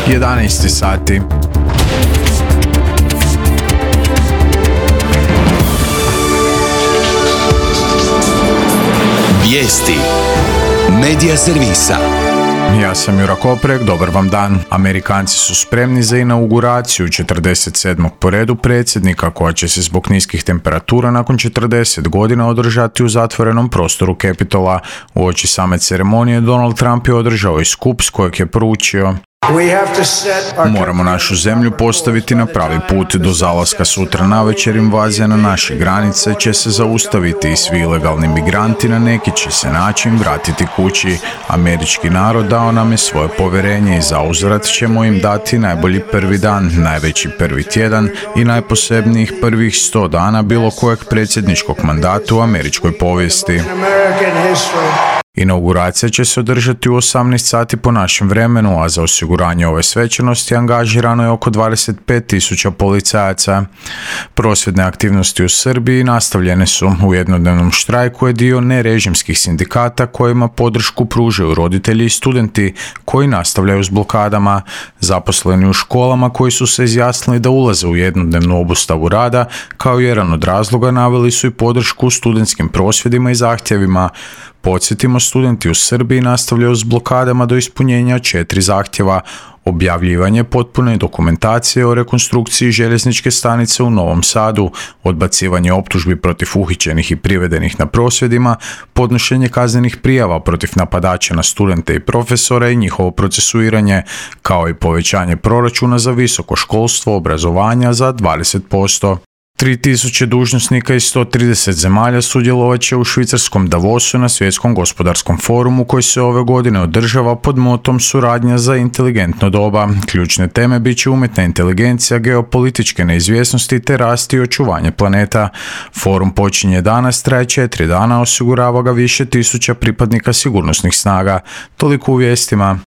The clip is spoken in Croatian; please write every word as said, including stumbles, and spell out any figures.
jedanaest sati. Vijesti Medija servisa. Ja sam Jura Koprek, dobar vam dan. Amerikanci su spremni za inauguraciju četrdeset sedmog po redu predsjednika, koja će se zbog niskih temperatura nakon četrdeset godina održati u zatvorenom prostoru Capitola. Uoči same ceremonije Donald Trump je održao i skup s kojeg je poručio: moramo našu zemlju postaviti na pravi put. Do zalaska sutra navečer invazija na naše granice će se zaustaviti i svi ilegalni migranti na neki će se način vratiti kući. Američki narod dao nam je svoje povjerenje i zauzvrat ćemo im dati najbolji prvi dan, najveći prvi tjedan i najposebnijih prvih sto dana bilo kojeg predsjedničkog mandata u američkoj povijesti. Inauguracija će se održati u osamnaest sati po našem vremenu, a za osiguranje ove svečanosti angažirano je oko dvadeset pet tisuća policajaca. Prosvjedne aktivnosti u Srbiji nastavljene su. U jednodnevnom štrajku je dio nerežimskih sindikata kojima podršku pružaju roditelji i studenti koji nastavljaju s blokadama. Zaposleni u školama koji su se izjasnili da ulaze u jednodnevnu obustavu rada, kao jedan od razloga naveli su i podršku studentskim prosvjedima i zahtjevima. Podsjetimo, studenti u Srbiji nastavljaju s blokadama do ispunjenja četiri zahtjeva: objavljivanje potpune dokumentacije o rekonstrukciji željezničke stanice u Novom Sadu, odbacivanje optužbi protiv uhićenih i privedenih na prosvjedima, podnošenje kaznenih prijava protiv napadača na studente i profesore i njihovo procesuiranje, kao i povećanje proračuna za visoko školstvo obrazovanja za dvadeset posto. tri tisuće dužnosnika iz sto trideset zemalja sudjelovat će u švicarskom Davosu na svjetskom gospodarskom forumu koji se ove godine održava pod motom suradnja za inteligentno doba. Ključne teme bit će umjetna inteligencija, geopolitičke neizvjesnosti te rast i očuvanje planeta. Forum počinje danas, traje četiri dana, osigurava ga više tisuća pripadnika sigurnosnih snaga. Toliko u vijestima.